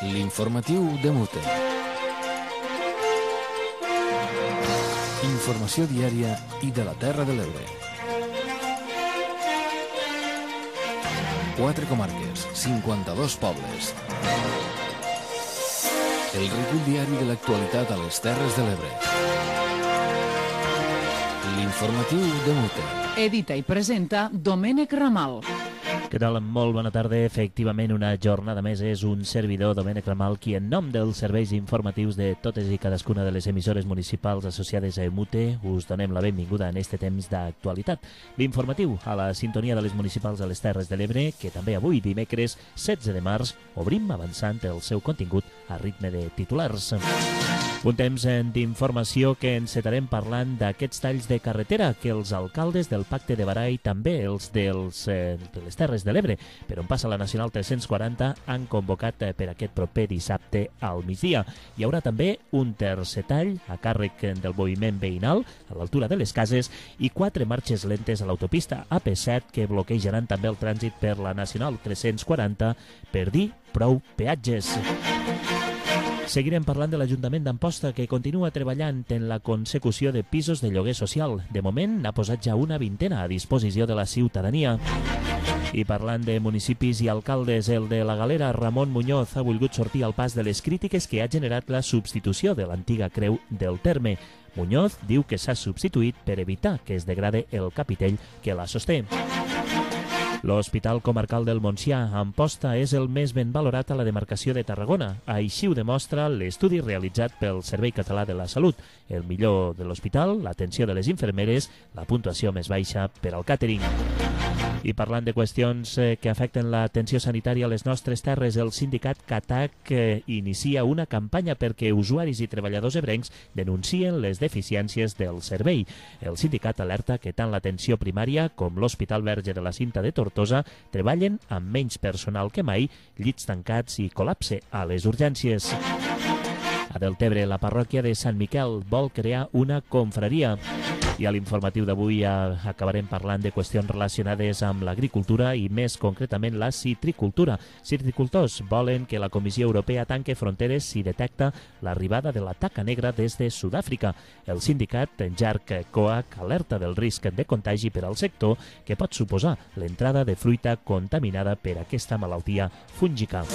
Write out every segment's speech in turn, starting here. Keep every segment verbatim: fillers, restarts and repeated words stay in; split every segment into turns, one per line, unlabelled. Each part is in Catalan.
L'informatiu de Mute. Informació diària i de la Terra de l'Ebre. Quatre comarques, cinquanta-dos pobles. El recull diari de l'actualitat a les Terres de l'Ebre. L'informatiu de Mute.
Edita i presenta Domènec Ramal.
Què tal? Molt bona tarda. Efectivament, una jornada més és un servidor, Domènec Ramal, qui en nom dels serveis informatius de totes i cadascuna de les emissores municipals associades a Emute us donem la benvinguda en este temps d'actualitat. L'informatiu a la sintonia de les municipals a les Terres de l'Ebre, que també avui, dimecres setze de març, obrim avançant el seu contingut a ritme de titulars. Un temps d'informació que encetarem parlant d'aquests talls de carretera que els alcaldes del Pacte de Berà i també els dels, eh, de les Terres de l'Ebre, per on passa la Nacional tres-cents quaranta, han convocat per aquest proper dissabte al migdia. Hi haurà també un tercer tall a càrrec del moviment veïnal a l'altura de les cases i quatre marxes lentes a l'autopista A P set que bloquejaran també el trànsit per la Nacional tres-cents quaranta per dir prou peatges. Seguirem parlant de l'Ajuntament d'Amposta, que continua treballant en la consecució de pisos de lloguer social. De moment n'ha posat ja una vintena a disposició de la ciutadania. I parlant de municipis i alcaldes, el de la Galera, Ramon Muñoz, ha volgut sortir al pas de les crítiques que ha generat la substitució de l'antiga creu del terme. Muñoz diu que s'ha substituït per evitar que es degrade el capitell que la sosté. L'Hospital Comarcal del Montsià, a Amposta, és el més ben valorat a la demarcació de Tarragona. Així ho demostra l'estudi realitzat pel Servei Català de la Salut. El millor de l'hospital, l'atenció de les infermeres, la puntuació més baixa per al càtering. I parlant de qüestions eh, que afecten l'atenció sanitària a les nostres terres, el sindicat CATAC eh, inicia una campanya perquè usuaris i treballadors ebrencs denuncien les deficiències del servei. El sindicat alerta que tant l'atenció primària com l'Hospital Verge de la Cinta de Tortosa treballen amb menys personal que mai, llits tancats i col·lapse a les urgències. A Deltebre, la parròquia de Sant Miquel vol crear una confraria. I a l'informatiu d'avui acabarem parlant de qüestions relacionades amb l'agricultura i més concretament la citricultura. Citricultors volen que la Comissió Europea tanque fronteres si detecta l'arribada de la taca negra des de Sud-àfrica. El sindicat Jarc Coag alerta del risc de contagi per al sector que pot suposar l'entrada de fruita contaminada per aquesta malaltia fúngica.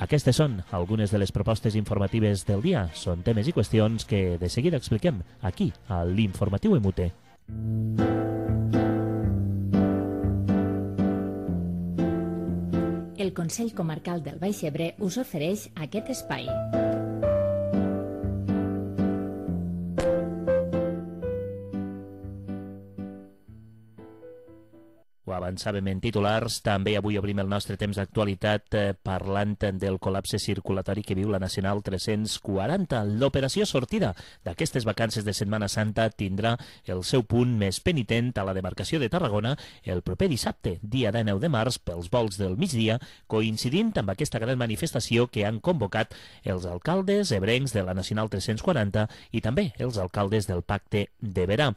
Aquestes són algunes de les propostes informatives del dia. Són temes i qüestions que de seguida expliquem aquí, a l'Informatiu Emute.
El Consell Comarcal del Baix Ebre us ofereix aquest espai.
Ho avançàvem en titulars, també avui obrim el nostre temps d'actualitat eh, parlant del col·lapse circulatori que viu la Nacional tres-cents quaranta. L'operació sortida d'aquestes vacances de Setmana Santa tindrà el seu punt més penitent a la demarcació de Tarragona el proper dissabte, dia dinou de març, pels vols del migdia, coincidint amb aquesta gran manifestació que han convocat els alcaldes ebrencs de la Nacional tres-cents quaranta i també els alcaldes del Pacte de Berà.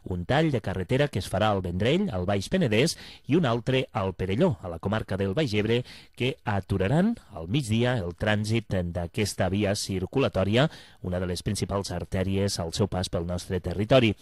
Un tall de carretera que es farà al Vendrell, al Baix Penedès, i un altre al Perelló, a la comarca del Baix Ebre, que aturaran al migdia el trànsit d'aquesta via circulatòria, una de les principals artèries al seu pas pel nostre territori.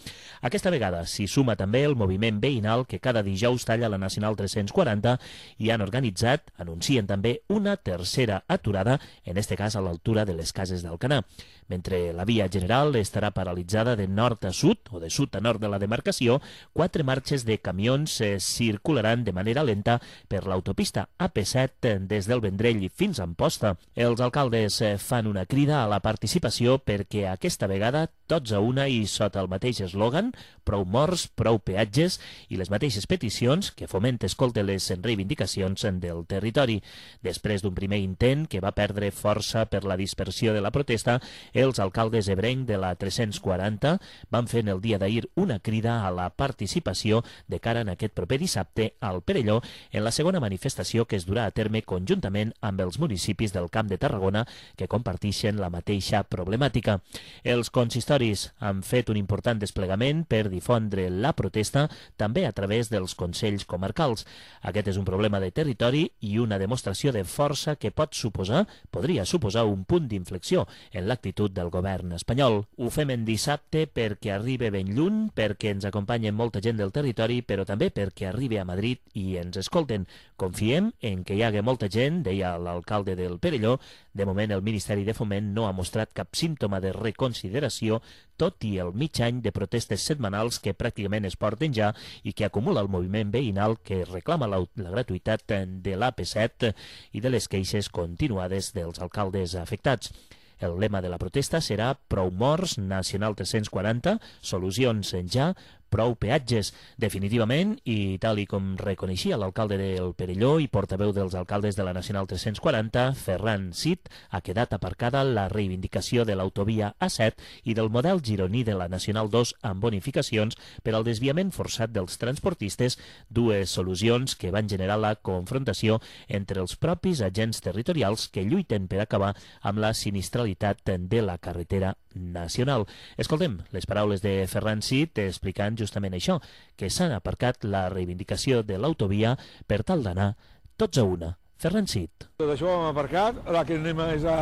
Aquesta vegada s'hi suma també el moviment veïnal que cada dijous talla la Nacional tres-cents quaranta i han organitzat, anuncien també una tercera aturada, en este cas a l'altura de les cases d'Alcanar. Mentre la via general estarà paralitzada de nord a sud o de sud a nord de la demarcació, quatre marxes de camions eh, circularan de manera lenta per l'autopista A P set des del Vendrell fins a Amposta. Els alcaldes eh, fan una crida a la participació perquè aquesta vegada tots a una i sota el mateix eslògan, prou morts, prou peatges i les mateixes peticions que Foment escolta les reivindicacions del territori. Després d'un primer intent que va perdre força per la dispersió de la protesta, els alcaldes ebrencs de la tres-cents quaranta van fer en el dia d'ahir una crida a la participació de cara en aquest proper dissabte al Perelló en la segona manifestació que es durà a terme conjuntament amb els municipis del Camp de Tarragona que comparteixen la mateixa problemàtica. Els consistoris han fet un important desplegament per difondre la protesta també a través dels consells comarcals. Aquest és un problema de territori i una demostració de força que pot suposar, podria suposar un punt d'inflexió en l'actitud del govern espanyol. Ho fem en dissabte perquè arriba ben lluny, perquè ens acompanyen molta gent del territori, però també perquè arriba a Madrid i ens escolten. Confiem en que hi hagi molta gent, deia l'alcalde del Perelló. De moment el Ministeri de Foment no ha mostrat cap símptoma de reconsideració, tot i el mig any de protestes setmanals que pràcticament es porten ja i que acumula el moviment veïnal que reclama la, la gratuïtat de l'A P set i de les queixes continuades dels alcaldes afectats. El lema de la protesta serà Prou morts, Nacional tres-cents quaranta, solucions ja, prou peatges. Definitivament, i tal i com reconeixia l'alcalde del Perelló i portaveu dels alcaldes de la Nacional tres-cents quaranta, Ferran Cid, ha quedat aparcada la reivindicació de l'autovia A set i del model gironí de la Nacional dos amb bonificacions per al desviament forçat dels transportistes, dues solucions que van generar la confrontació entre els propis agents territorials que lluiten per acabar amb la sinistralitat de la carretera nacional. Escoltem les paraules de Ferran Cid explicant justament això, que s'han aparcat la reivindicació de l'autovia per tal d'anar tots a una. Ferran Cid.
Tot això ho hem aparcat, ara que anem és a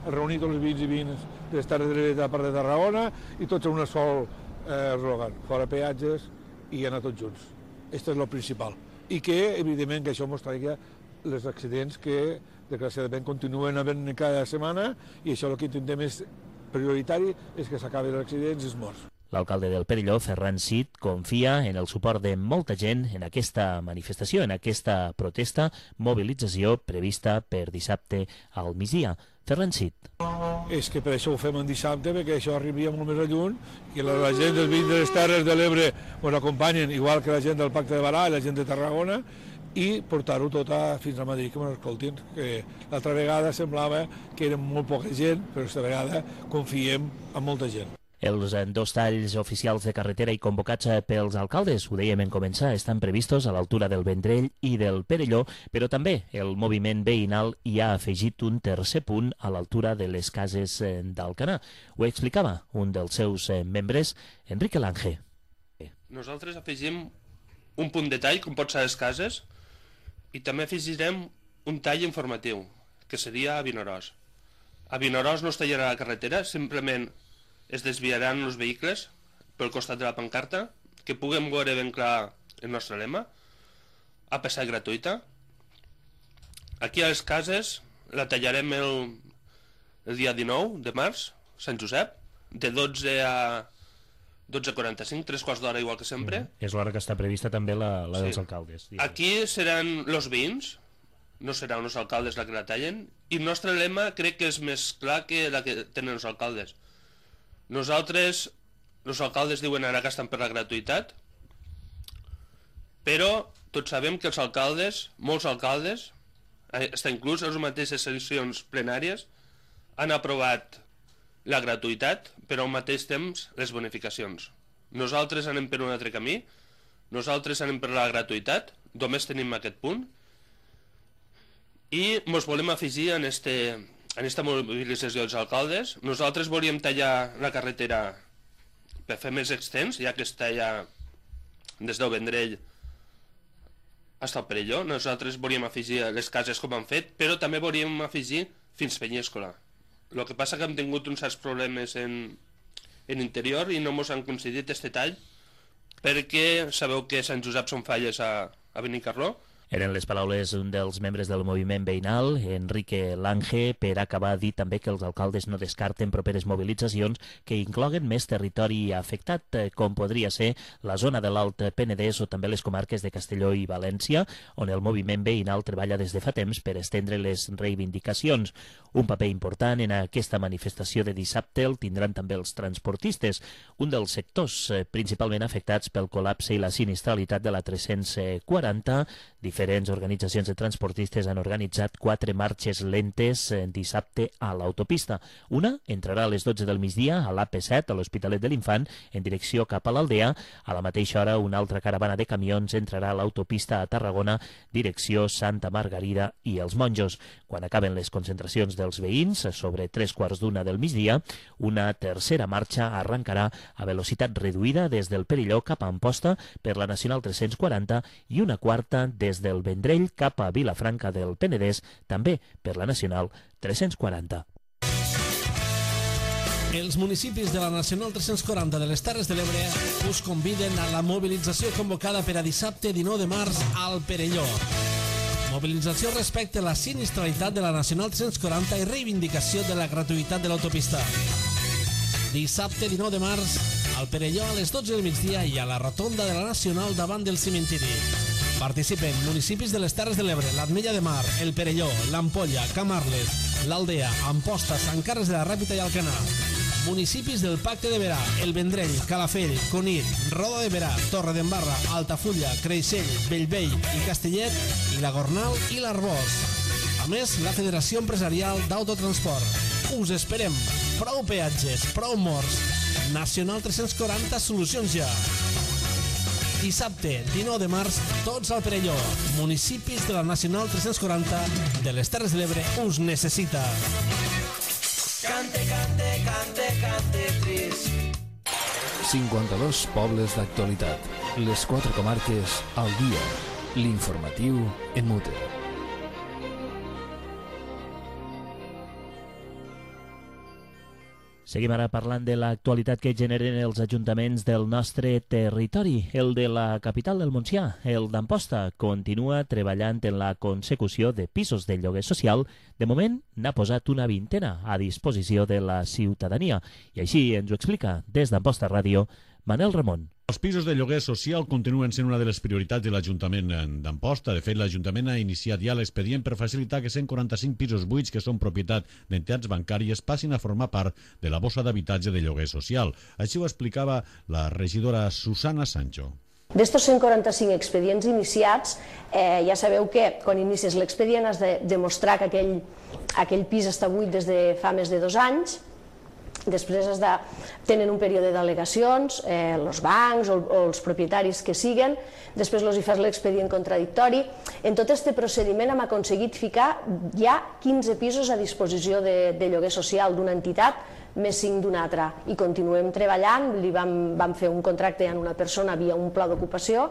reunir tots els veïns i veïnes de les Terres de l'Ebre de la part de Tarragona i tots a una sol eh, eslògan, fora peatges i anar tots junts. Això és el principal. I que, evidentment, que això mostraria els accidents que, desgraciadament, continuen havent cada setmana i això el que intentem és prioritari és que s'acabin els accidents i els morts.
L'alcalde del Perelló, Ferran Cid, confia en el suport de molta gent en aquesta manifestació, en aquesta protesta, mobilització prevista per dissabte al migdia. Ferran Cid.
És que per això ho fem en dissabte, perquè això arribaria molt més a lluny i la, la gent dels veïns de les Terres de l'Ebre ens acompanyen, igual que la gent del Pacte de Barà i la gent de Tarragona, i portar-ho tot a, fins a Madrid, que m'ho escoltin. Que l'altra vegada semblava que eren molt poca gent, però aquesta vegada confiem en molta gent.
Els dos talls oficials de carretera i convocats pels alcaldes, ho dèiem en començar, estan previstos a l'altura del Vendrell i del Perelló, però també el moviment veïnal hi ha afegit un tercer punt a l'altura de les cases d'Alcanar. Ho explicava un dels seus membres, Enrique Lange.
Nosaltres afegim un punt de tall, com pot ser les cases, i també afegirem un tall informatiu, que seria a Vinaròs. A Vinaròs no es tallarà la carretera, simplement es desviaran els vehicles pel costat de la pancarta, que puguem veure ben clar el nostre lema, a passar gratuïta. Aquí a les cases la tallarem el, el dia dinou de març, Sant Josep, de dotze a dotze quaranta-cinc, tres quarts d'hora igual que sempre.
Mm, és l'hora que està prevista també la, la sí. dels alcaldes. Digues.
Aquí seran els veïns, no seran els alcaldes la que la tallen, i el nostre lema crec que és més clar que la que tenen els alcaldes. Nosaltres, els alcaldes diuen ara que estan per la gratuïtat, però tots sabem que els alcaldes, molts alcaldes, està inclús les mateixes sessions plenàries, han aprovat la gratuïtat, però al mateix temps les bonificacions. Nosaltres anem per un altre camí, nosaltres anem per la gratuïtat, només tenim aquest punt, i ens volem afegir en este... en aquesta mobilització dels alcaldes. Nosaltres volíem tallar la carretera per fer més extens, ja que es talla des del Vendrell fins al Perelló. Nosaltres volíem afegir les cases com han fet, però també volíem afegir fins Penyíscola. El que passa que hem tingut uns certs problemes en, en interior i no ens han concedit este tall, perquè sabeu que Sant Josep són falles a, a Benicarló.
Eren les paraules d'un dels membres del moviment veïnal, Enrique Lange, per acabar dit també que els alcaldes no descarten properes mobilitzacions que incloguen més territori afectat, com podria ser la zona de l'Alt Penedès o també les comarques de Castelló i València, on el moviment veïnal treballa des de fa temps per estendre les reivindicacions. Un paper important en aquesta manifestació de dissabte el tindran també els transportistes, un dels sectors principalment afectats pel col·lapse i la sinistralitat de la tres-cents quaranta, diferent Diferents organitzacions de transportistes han organitzat quatre marxes lentes dissabte a l'autopista. Una entrarà a les dotze del migdia a l'A P set, a l'Hospitalet de l'Infant, en direcció cap a l'Aldea. A la mateixa hora, una altra caravana de camions entrarà a l'autopista a Tarragona, direcció Santa Margarida i els Monjos. Quan acaben les concentracions dels veïns, sobre tres quarts d'una del migdia, una tercera marxa arrencarà a velocitat reduïda des del Perelló cap a Amposta per la Nacional tres-cents quaranta i una quarta des del Vendrell cap a Vilafranca del Penedès, també per la Nacional tres-cents quaranta.
Els municipis de la Nacional tres-cents quaranta de les Terres de l'Ebre us conviden a la mobilització convocada per a dissabte dinou de març al Perelló. Mobilització respecte a la sinistralitat de la Nacional tres-cents quaranta i reivindicació de la gratuïtat de l'autopista. Dissabte dinou de març al Perelló a les dotze del migdia i a la rotonda de la Nacional davant del cimentiri. Participen municipis de les Terres de l'Ebre, l'Ametlla de Mar, el Perelló, l'Ampolla, Camarles, l'Aldea, Amposta, Sant Carles de la Ràpita i Alcanar. Municipis del Pacte de Berà, el Vendrell, Calafell, Cunit, Roda de Berà, Torredembarra, Altafulla, Creixell, Bellvei i Castellet, i la Gornal i l'Arbós. A més, la Federació Empresarial d'Autotransport. Us esperem. Prou peatges, prou morts. Nacional tres-cents quaranta, solucions ja. Dissabte, dinou de març, tots al Perelló. Municipis de la Nacional tres-cents quaranta de les Terres de l'Ebre us necessita.
Cante, cante, cante, cante, tris.
cinquanta-dos pobles d'actualitat. Les quatre comarques al dia. L'informatiu en Mute.
Seguim ara parlant de l'actualitat que generen els ajuntaments del nostre territori. El de la capital del Montsià, el d'Amposta, continua treballant en la consecució de pisos de lloguer social. De moment, n'ha posat una vintena a disposició de la ciutadania. I així ens ho explica des d'Amposta Ràdio Manel Ramon.
Els pisos de lloguer social continuen sent una de les prioritats de l'Ajuntament d'Amposta. De fet, l'Ajuntament ha iniciat ja l'expedient per facilitar que cent quaranta-cinc pisos buits que són propietat d'entitats bancàries passin a formar part de la bossa d'habitatge de lloguer social. Així ho explicava la regidora Susana Sancho.
D'estos cent quaranta-cinc expedients iniciats, eh, ja sabeu que quan inicies l'expedient has de demostrar que aquell, aquell pis està buit des de fa més de dos anys. Després has de, tenen un període d'al·legacions, eh, els bancs o, o els propietaris que siguen, després els hi fas l'expedient contradictori. En tot aquest procediment hem aconseguit ficar ja quinze pisos a disposició de, de lloguer social d'una entitat, més cinc d'una altra. I continuem treballant, li vam, vam fer un contracte amb una persona via un pla d'ocupació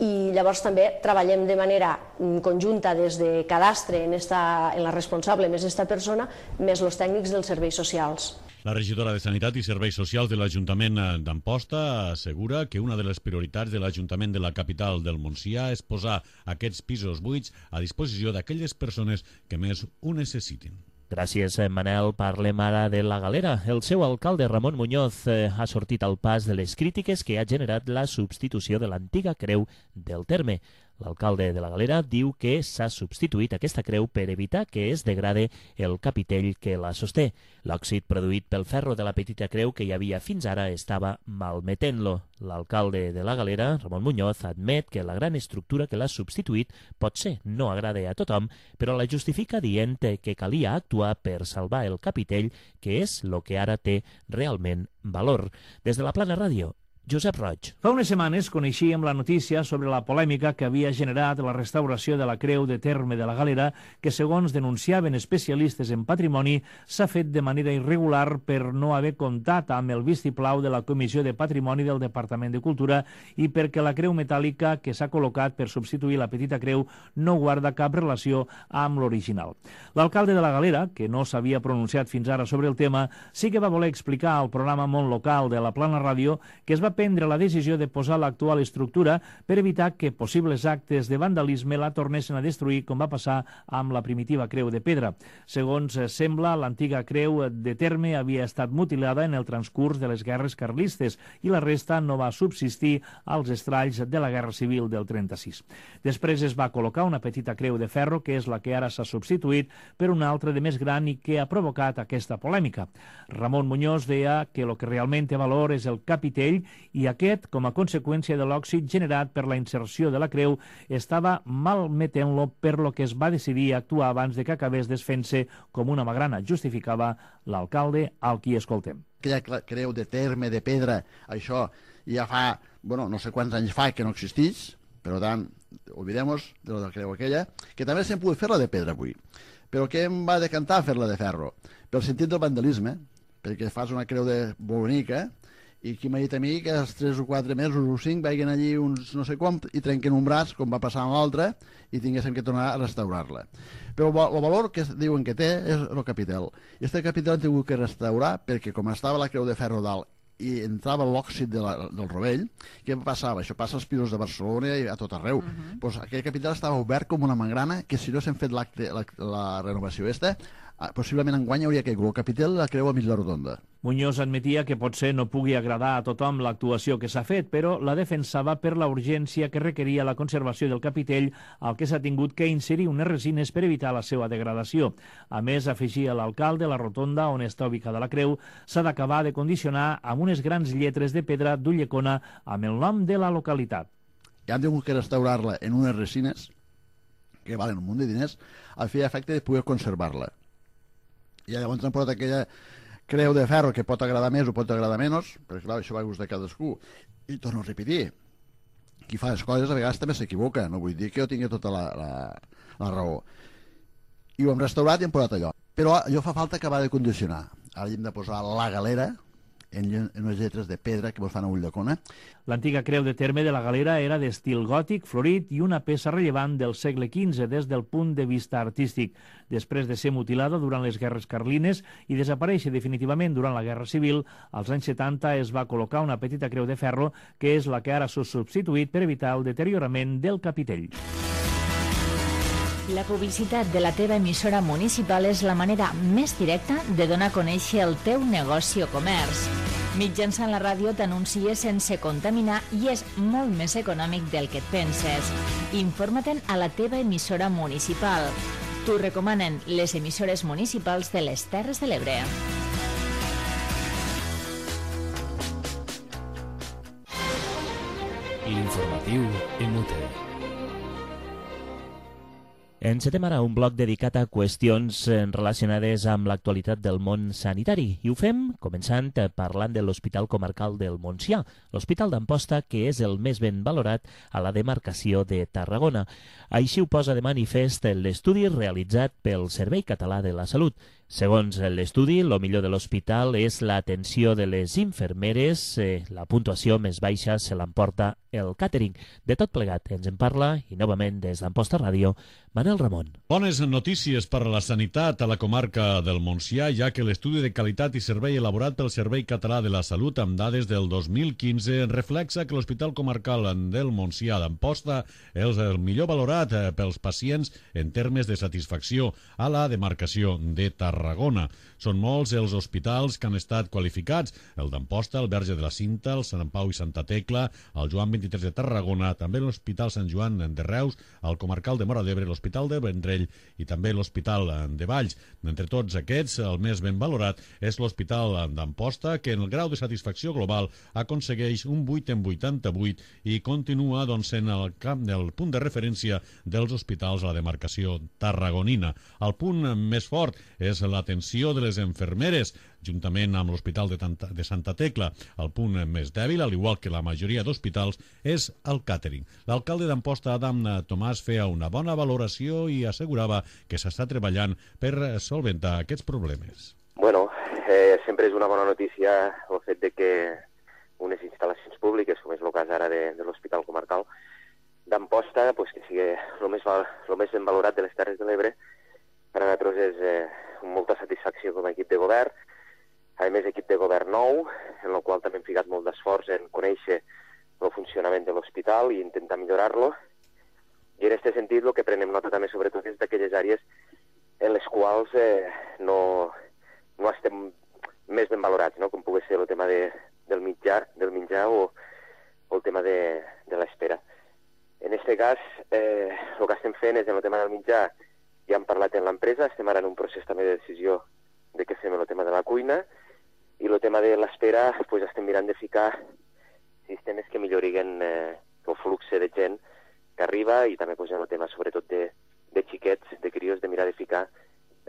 i llavors també treballem de manera conjunta des de cadastre en, esta, en la responsable més esta persona, més els tècnics dels serveis socials.
La regidora de Sanitat i Serveis Socials de l'Ajuntament d'Amposta assegura que una de les prioritats de l'Ajuntament de la capital del Montsià és posar aquests pisos buits a disposició d'aquelles persones que més ho necessitin.
Gràcies, Manel. Parlem ara de la Galera. El seu alcalde, Ramon Muñoz, eh, ha sortit al pas de les crítiques que ha generat la substitució de l'antiga creu del terme. L'alcalde de la Galera diu que s'ha substituït aquesta creu per evitar que es degrade el capitell que la sosté. L'òxid produït pel ferro de la petita creu que hi havia fins ara estava malmetent-lo. L'alcalde de la Galera, Ramon Muñoz, admet que la gran estructura que l'ha substituït potser no agrada a tothom, però la justifica dient que calia actuar per salvar el capitell, que és el que ara té realment valor. Des de la Plana Ràdio, Josep Roig.
Fa unes setmanes coneixíem la notícia sobre la polèmica que havia generat la restauració de la creu de terme de la Galera, que, segons denunciaven especialistes en patrimoni, s'ha fet de manera irregular per no haver comptat amb el vistiplau de la Comissió de Patrimoni del Departament de Cultura i perquè la creu metàl·lica que s'ha col·locat per substituir la petita creu no guarda cap relació amb l'original. L'alcalde de la Galera, que no s'havia pronunciat fins ara sobre el tema, sí que va voler explicar al programa Món Local de la Plana Ràdio que es va prendre la decisió de posar l'actual estructura per evitar que possibles actes de vandalisme la tornessin a destruir, com va passar amb la primitiva creu de pedra. Segons sembla, l'antiga creu de terme havia estat mutilada en el transcurs de les guerres carlistes i la resta no va subsistir als estralls de la Guerra Civil del trenta-sis. Després es va col·locar una petita creu de ferro, que és la que ara s'ha substituït per una altra de més gran i que ha provocat aquesta polèmica. Ramon Muñoz deia que el que realment té valor és el capitell i aquest, com a conseqüència de l'òxid generat per la inserció de la creu, estava malmetent-lo, per lo que es va decidir actuar abans de que acabés desfent-se com una magrana, justificava l'alcalde, al qui escoltem.
Aquella creu de terme, de pedra, això ja fa, bueno, no sé quants anys fa que no existeix, per tant, oblidem-nos de la creu aquella, que també s'hem pogut fer-la de pedra avui. Però què em va decantar fer-la de ferro? Pel sentit del vandalisme, perquè fas una creu de bonica i qui m'ha dit a mi que els tres o quatre mesos o cinc vagin allí uns no sé com i trenquen un braç, com va passar amb l'altre, i tinguéssim que tornar a restaurar-la. Però el valor que diuen que té és el capital. I aquest capital han tingut que restaurar perquè com estava la creu de ferro dalt i entrava l'òxid de la, del rovell, què passava? Això passa als pisos de Barcelona i a tot arreu. Uh -huh. Pues aquell capital estava obert com una mangrana que si no s'hem fet la, la, la renovació esta, possiblement enguany hauria caigut el capital la creu a mig la rotonda.
Muñoz admetia que potser no pugui agradar a tothom l'actuació que s'ha fet, però la defensava per la urgència que requeria la conservació del capitell, al que s'ha tingut que inserir unes resines per evitar la seva degradació. A més, afegia l'alcalde, la rotonda on està ubicada la creu s'ha d'acabar de condicionar amb unes grans lletres de pedra d'Ulldecona amb el nom de la localitat.
I han tingut que restaurar-la en unes resines que valen un munt de diners a fer efecte de poder conservar-la. I llavors han posat aquella creu de ferro que pot agradar més o pot agradar menys, perquè clar, això va a gust de cadascú. I torno a repetir, qui fa les coses a vegades també s'equivoca, no vull dir que jo tingui tota la, la, la raó. I ho hem restaurat i hem posat allò. Però allò fa falta acabar de condicionar. Ara hem de posar la galera en unes lletres de pedra que mos fan a Ulldecona.
L'antiga creu de terme de la Galera era d'estil gòtic, florit i una peça rellevant del segle quinze des del punt de vista artístic. Després de ser mutilada durant les guerres carlines i desaparèixer definitivament durant la Guerra Civil, als anys setanta es va col·locar una petita creu de ferro que és la que ara s'ha substituït per evitar el deteriorament del capitell.
La publicitat de la teva emissora municipal és la manera més directa de donar a conèixer el teu negoci o comerç. Mitjançant la ràdio t'anuncies sense contaminar i és molt més econòmic del que et penses. Informa-te'n a la teva emissora municipal. T'ho recomanen les emissores municipals de les Terres de l'Ebre.
L'informatiu M U T.
Encetem ara un bloc dedicat a qüestions relacionades amb l'actualitat del món sanitari i ho fem començant parlant de l'Hospital Comarcal del Montsià, l'Hospital d'Amposta que és el més ben valorat a la demarcació de Tarragona. Així ho posa de manifest l'estudi realitzat pel Servei Català de la Salut. Segons l'estudi, el millor de l'hospital és l'atenció de les infermeres, eh, la puntuació més baixa se l'emporta el càtering. De tot plegat ens en parla, i novament des d'Amposta Ràdio, Manel Ramon.
Bones notícies per a la sanitat a la comarca del Montsià, ja que l'estudi de qualitat i servei elaborat pel Servei Català de la Salut amb dades del dos mil quinze reflexa que l'Hospital Comarcal del Montsià d'Amposta és el millor valorat pels pacients en termes de satisfacció a la demarcació de Tarragona. Són molts els hospitals que han estat qualificats, el d'Amposta, el Verge de la Cinta, el Sant Pau i Santa Tecla, el Joan vint-i-tres de Tarragona, també l'Hospital Sant Joan de Reus, el Comarcal de Móra d'Ebre, l'Hospital de Vendrell i també l'Hospital de Valls. D'entre tots aquests, el més ben valorat és l'Hospital d'Amposta, que en el grau de satisfacció global aconsegueix un vuit en vuitanta-vuit i continua doncs, en el camp del punt de referència dels hospitals a la demarcació tarragonina. El punt més fort és l'atenció de les infermeres, juntament amb l'Hospital de, de Santa Tecla. El punt més dèbil, al igual que la majoria d'hospitals, és el càtering. L'alcalde d'Amposta, Adam Tomàs, feia una bona valoració i assegurava que s'està treballant per solventar aquests problemes.
Bueno, eh, sempre és una bona notícia el fet de que unes instal·lacions públiques, com és el cas ara de, de l'Hospital Comarcal d'Amposta, pues, que sigui el més, el més ben valorat de les Terres de l'Ebre. Per a nosaltres és eh, molta satisfacció com a equip de govern. A més, equip de govern nou, en el qual també hem ficat molt d'esforç en conèixer el funcionament de l'hospital i intentar millorar-lo. I en aquest sentit, el que prenem nota també sobretot és d'aquelles àrees en les quals eh, no, no estem més ben valorats, no? Com pugui ser el tema de, del mitjà, del menjar o, o el tema de, de l'espera. En aquest cas, eh, el que estem fent és en el tema del mitjà, ja hem parlat en l'empresa, estem ara en un procés també de decisió de què fem el tema de la cuina, i el tema de l'espera pues, estem mirant de ficar sistemes que milloriguen eh, el flux de gent que arriba i també pues, en el tema sobretot de, de xiquets, de crios, de mirar de ficar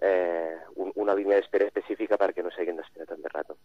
eh, un, una línia d'espera específica perquè no s'hagin d'esperar tant de rato.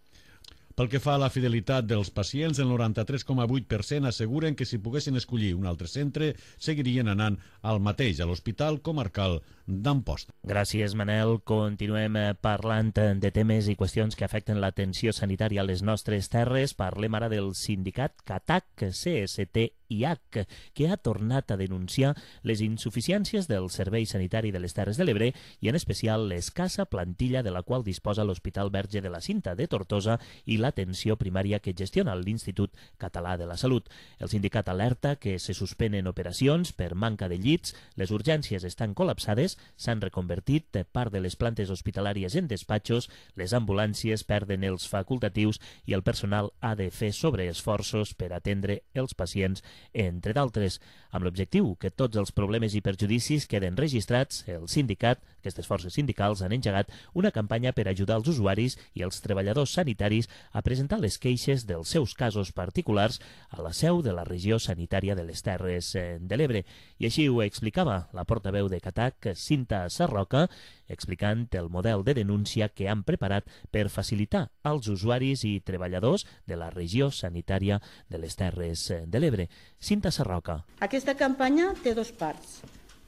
Pel que fa a la fidelitat dels pacients, el noranta-tres coma vuit per cent asseguren que si poguessin escollir un altre centre, seguirien anant al mateix, a l'Hospital Comarcal d'Amposta.
Gràcies, Manel. Continuem parlant de temes i qüestions que afecten l'atenció sanitària a les nostres terres. Parlem ara del sindicat CATAC, C S T I H, que ha tornat a denunciar les insuficiències del Servei Sanitari de les Terres de l'Ebre i, en especial, l'escassa plantilla de la qual disposa l'Hospital Verge de la Cinta de Tortosa i l'atenció primària que gestiona l'Institut Català de la Salut. El sindicat alerta que se suspenen operacions per manca de llits, les urgències estan col·lapsades, s'han reconvertit part de les plantes hospitalàries en despatxos, les ambulàncies perden els facultatius i el personal ha de fer sobreesforços per atendre els pacients, entre d'altres. Amb l'objectiu que tots els problemes i perjudicis queden registrats, el sindicat, aquestes forces sindicals, han engegat una campanya per ajudar els usuaris i els treballadors sanitaris a presentar les queixes dels seus casos particulars a la seu de la regió sanitària de les Terres de l'Ebre. I així ho explicava la portaveu de CATAC, Cinta Sarroca, explicant el model de denúncia que han preparat per facilitar als usuaris i treballadors de la regió sanitària de les Terres de l'Ebre. Cinta Sarroca.
Aquesta campanya té dos parts.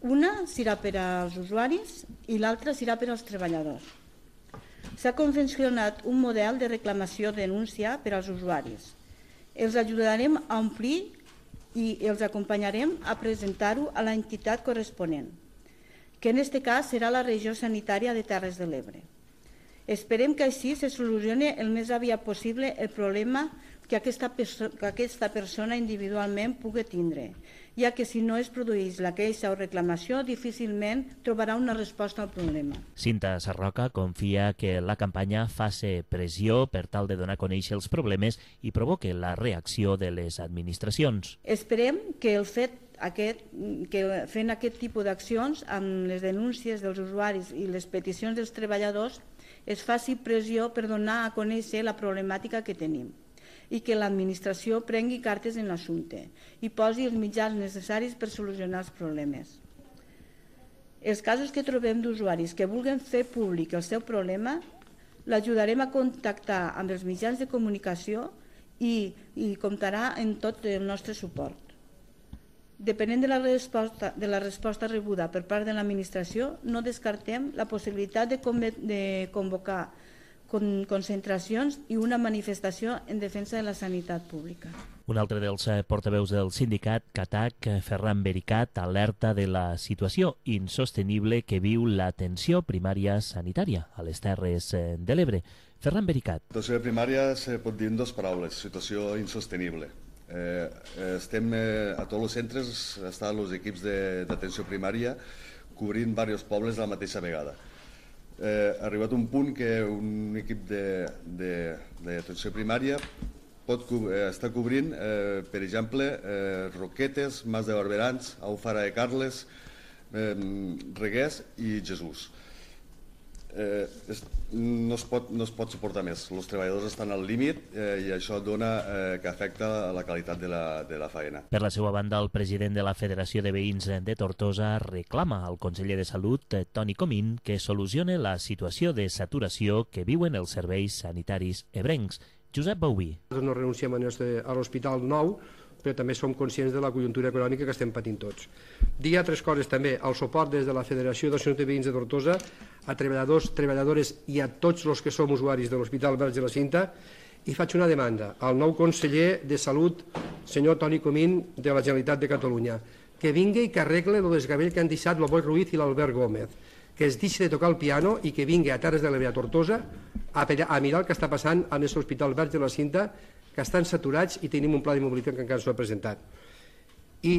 Una serà per als usuaris i l'altra serà per als treballadors. S'ha confeccionat un model de reclamació-denúncia per als usuaris. Els ajudarem a omplir i els acompanyarem a presentar-ho a la entitat corresponent, que en aquest cas serà la regió sanitària de Terres de l'Ebre. Esperem que així se solucioni el més aviat possible el problema que aquesta, perso que aquesta persona individualment pugui tindre, ja que si no es produeix la queixa o reclamació, difícilment trobarà una resposta al problema.
Cinta Sarroca confia que la campanya faci pressió per tal de donar a conèixer els problemes i provoque la reacció de les administracions.
Esperem que el fet aquest, que fent aquest tipus d'accions amb les denúncies dels usuaris i les peticions dels treballadors es faci pressió per donar a conèixer la problemàtica que tenim i que l'administració prengui cartes en l'assumpte i posi els mitjans necessaris per solucionar els problemes. Els casos que trobem d'usuaris que vulguin fer públic el seu problema l'ajudarem a contactar amb els mitjans de comunicació i, i comptarà en tot el nostre suport. Depenent de la resposta, de la resposta rebuda per part de l'administració, no descartem la possibilitat de, de convocar con concentracions i una manifestació en defensa de la sanitat pública.
Un altre dels portaveus del sindicat, CATAC, Ferran Bericat, alerta de la situació insostenible que viu l'atenció primària sanitària a les Terres de l'Ebre. Ferran Bericat.
L'atenció primària se pot dir en dues paraules, situació insostenible. Eh, estem eh, a tots els centres, estan els equips d'atenció primària cobrint diversos pobles a la mateixa vegada. Eh, ha arribat un punt que un equip d'atenció primària pot eh, estar cobrint, eh, per exemple, eh, Roquetes, Mas de Barberans, Alfara de Carles, eh, Reguers i Jesús. Eh, es, no, es pot, no es pot suportar més. Els treballadors estan al límit eh, i això dona eh, que afecta la qualitat de la, de la feina.
Per la seva banda, el president de la Federació de Veïns de Tortosa reclama al conseller de Salut, Toni Comín, que solucione la situació de saturació que viuen els serveis sanitaris ebrencs. Josep Bauví.
No renunciem a l'Hospital Nou, però també som conscients de la conjuntura econòmica que estem patint tots. Dir altres coses també, el suport des de la Federació d'Associacions de Veïns de Tortosa a treballadors, treballadores i a tots els que som usuaris de l'Hospital Verge de la Cinta, i faig una demanda al nou conseller de Salut, senyor Toni Comín, de la Generalitat de Catalunya, que vingui i que arregle el desgavell que han deixat el Boi Ruiz i l'Albert Gómez, que es deixi de tocar el piano i que vingui a Terres de l'Ebre, a Tortosa, a, a mirar el que està passant en l'Hospital Verge de la Cinta, que estan saturats i tenim un pla de mobilitat que encara no s'ha presentat. I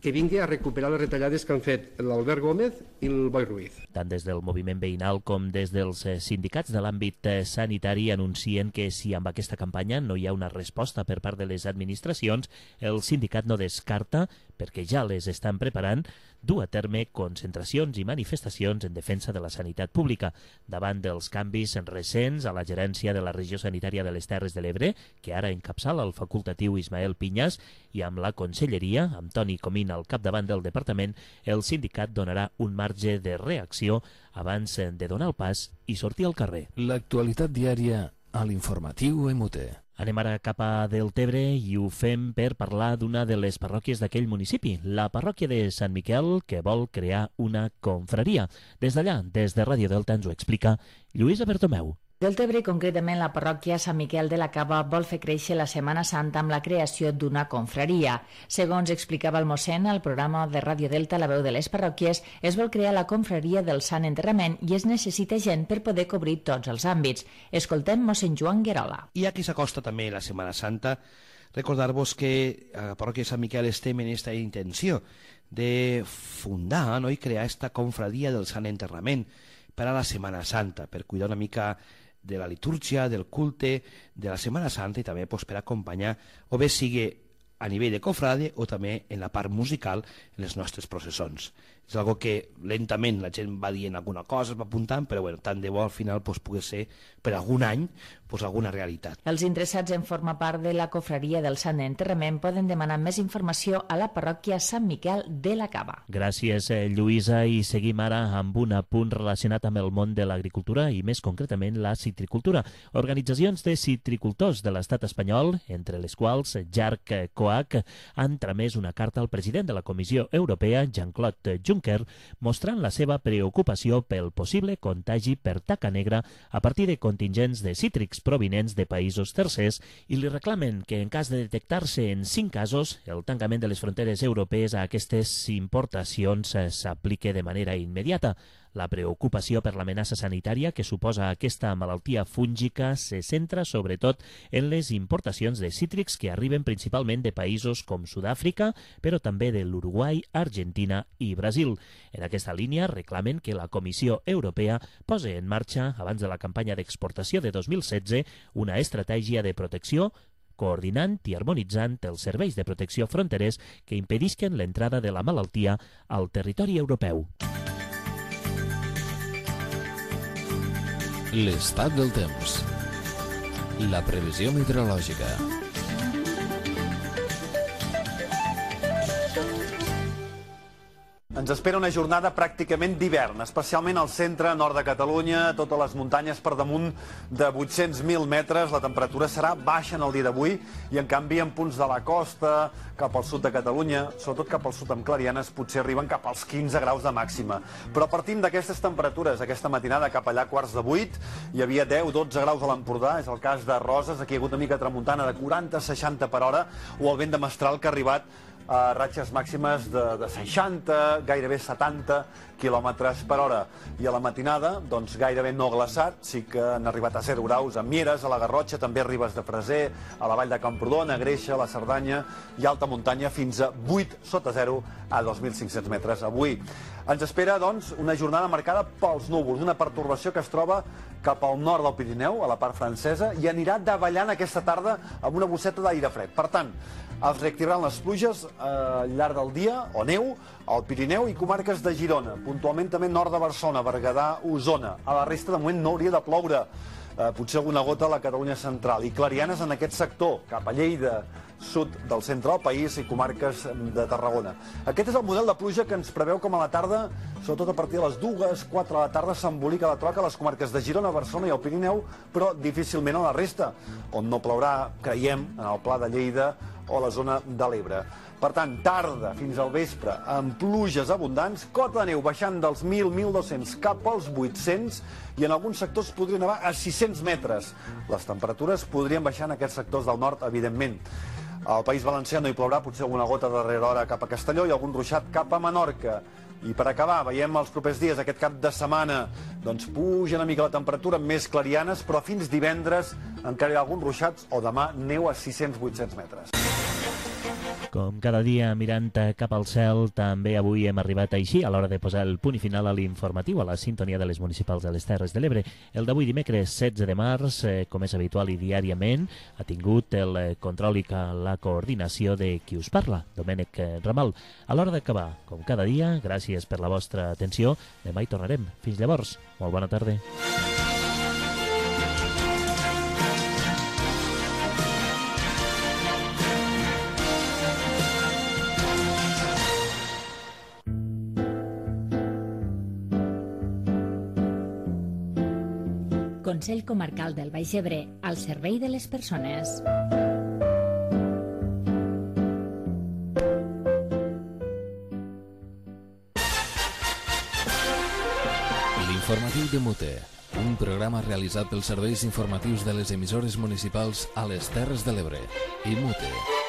que vingui a recuperar les retallades que han fet l'Albert Gómez i el Boi Ruiz.
Tant des del moviment veïnal com des dels sindicats de l'àmbit sanitari anuncien que si amb aquesta campanya no hi ha una resposta per part de les administracions, el sindicat no descarta, perquè ja les estan preparant, dur a terme concentracions i manifestacions en defensa de la sanitat pública. Davant dels canvis recents a la gerència de la regió sanitària de les Terres de l'Ebre, que ara encapçala el facultatiu Ismael Pinyas, i amb la conselleria, amb Toni Comín al capdavant del departament, el sindicat donarà un marge de reacció abans de donar el pas i sortir al carrer.
L'actualitat diària a l'informatiu M T.
Anem ara cap a Deltebre i ho fem per parlar d'una de les parròquies d'aquell municipi, la parròquia de Sant Miquel, que vol crear una confraria. Des d'allà, des de Ràdio Delta, ens ho explica Lluïsa Bertomeu.
Deltebre, concretament la parròquia Sant Miquel de la Cava, vol fer créixer la Setmana Santa amb la creació d'una confraria. Segons explicava el mossèn al programa de Ràdio Delta La Veu de les Parròquies, es vol crear la confraria del Sant Enterrament i es necessita gent per poder cobrir tots els àmbits. Escoltem mossèn Joan Guerola.
I aquí s'acosta també la Setmana Santa. Recordar-vos que a la parròquia de Sant Miquel estem en aquesta intenció de fundar, no, i crear esta confraria del Sant Enterrament per a la Setmana Santa, per cuidar una mica de la litúrgia, del culte, de la Setmana Santa i també pues, per acompanyar, o bé sigui a nivell de cofrade o també en la part musical en les nostres processons. És algo que lentament la gent va dient alguna cosa, es va apuntant, però bueno, tant de bo al final pues, pugui ser per algun any pues, alguna realitat.
Els interessats en formar part de la confraria del Sant Enterrament poden demanar més informació a la parròquia Sant Miquel de la Cava.
Gràcies, Lluïsa, i seguim ara amb un apunt relacionat amb el món de l'agricultura i més concretament la citricultura. Organitzacions de citricultors de l'estat espanyol, entre les quals Jarc Coac, han tramès una carta al president de la Comissió Europea, Jean-Claude Juncker, mostrant la seva preocupació pel possible contagi per taca negra a partir de contingents de cítrics provinents de països tercers i li reclamen que en cas de detectar-se en cinc casos, el tancament de les fronteres europees a aquestes importacions s'aplique de manera immediata. La preocupació per l'amenaça sanitària que suposa aquesta malaltia fúngica se centra sobretot en les importacions de cítrics que arriben principalment de països com Sud-àfrica, però també de l'Uruguai, Argentina i Brasil. En aquesta línia reclamen que la Comissió Europea posi en marxa, abans de la campanya d'exportació de dos mil setze, una estratègia de protecció coordinant i harmonitzant els serveis de protecció fronterers que impedisquen l'entrada de la malaltia al territori europeu.
L'estat del temps. La previsió meteorològica.
Ens espera una jornada pràcticament d'hivern, especialment al centre nord de Catalunya, totes les muntanyes per damunt de vuit-cents mil metres. La temperatura serà baixa en el dia d'avui i, en canvi, en punts de la costa, cap al sud de Catalunya, sobretot cap al sud amb clarianes, potser arriben cap als quinze graus de màxima. Però partim d'aquestes temperatures. Aquesta matinada cap allà quarts de vuit hi havia deu dotze graus a l'Empordà, és el cas de Roses, aquí hi ha hagut una mica tramuntana de quaranta a seixanta per hora, o el vent de mestral que ha arribat a ratxes màximes de, de seixanta, gairebé setanta quilòmetres per hora. I a la matinada, doncs gairebé no glaçat, sí que han arribat a zero graus a Mieres, a la Garrotxa, també a Ribes de Freser, a la Vall de Camprodon, a Greixa, a la Cerdanya i alta muntanya fins a vuit sota zero a dos mil cinc-cents metres avui. Ens espera, doncs, una jornada marcada pels núvols, una pertorbació que es troba cap al nord del Pirineu, a la part francesa, i anirà davallant aquesta tarda amb una bosseta d'aire fred. Per tant, es reactivaran les pluges eh, al llarg del dia, o neu, al Pirineu i comarques de Girona, puntualment també nord de Barcelona, Berguedà, Osona. A la resta, de moment, no hauria de ploure, eh, potser alguna gota a la Catalunya central, i clarianes en aquest sector, cap a Lleida, sud del centre del país i comarques de Tarragona. Aquest és el model de pluja que ens preveu com a la tarda, sobretot a partir de les dues, quatre de la tarda, s'embolica la troca a les comarques de Girona, Barcelona i el Pirineu, però difícilment a la resta, on no plourà, creiem, en el Pla de Lleida o la zona de l'Ebre. Per tant, tarda fins al vespre, amb pluges abundants, cota de neu baixant dels mil a mil dos-cents cap als vuit-cents i en alguns sectors podrien anar a sis-cents metres. Les temperatures podrien baixar en aquests sectors del nord, evidentment. Al País Valencià no hi plourà, potser alguna gota darrere hora cap a Castelló i algun ruixat cap a Menorca. I per acabar, veiem els propers dies, aquest cap de setmana, doncs puja una mica la temperatura amb més clarianes, però fins divendres encara hi ha alguns ruixats o demà neu a sis-cents a vuit-cents metres.
Com cada dia, mirant cap al cel, també avui hem arribat així a l'hora de posar el punt i final a l'informatiu, a la sintonia de les municipals de les Terres de l'Ebre. El d'avui dimecres setze de març, eh, com és habitual i diàriament, ha tingut el eh, control i la coordinació de qui us parla, Domènec Ramal. A l'hora d'acabar, com cada dia, gràcies per la vostra atenció. Demà hi tornarem. Fins llavors, molt bona tarda.
Consell Comarcal del Baix Ebre, al servei de les persones.
L'informatiu de Mute, un programa realitzat pels serveis informatius de les emissores municipals a les Terres de l'Ebre i Mute.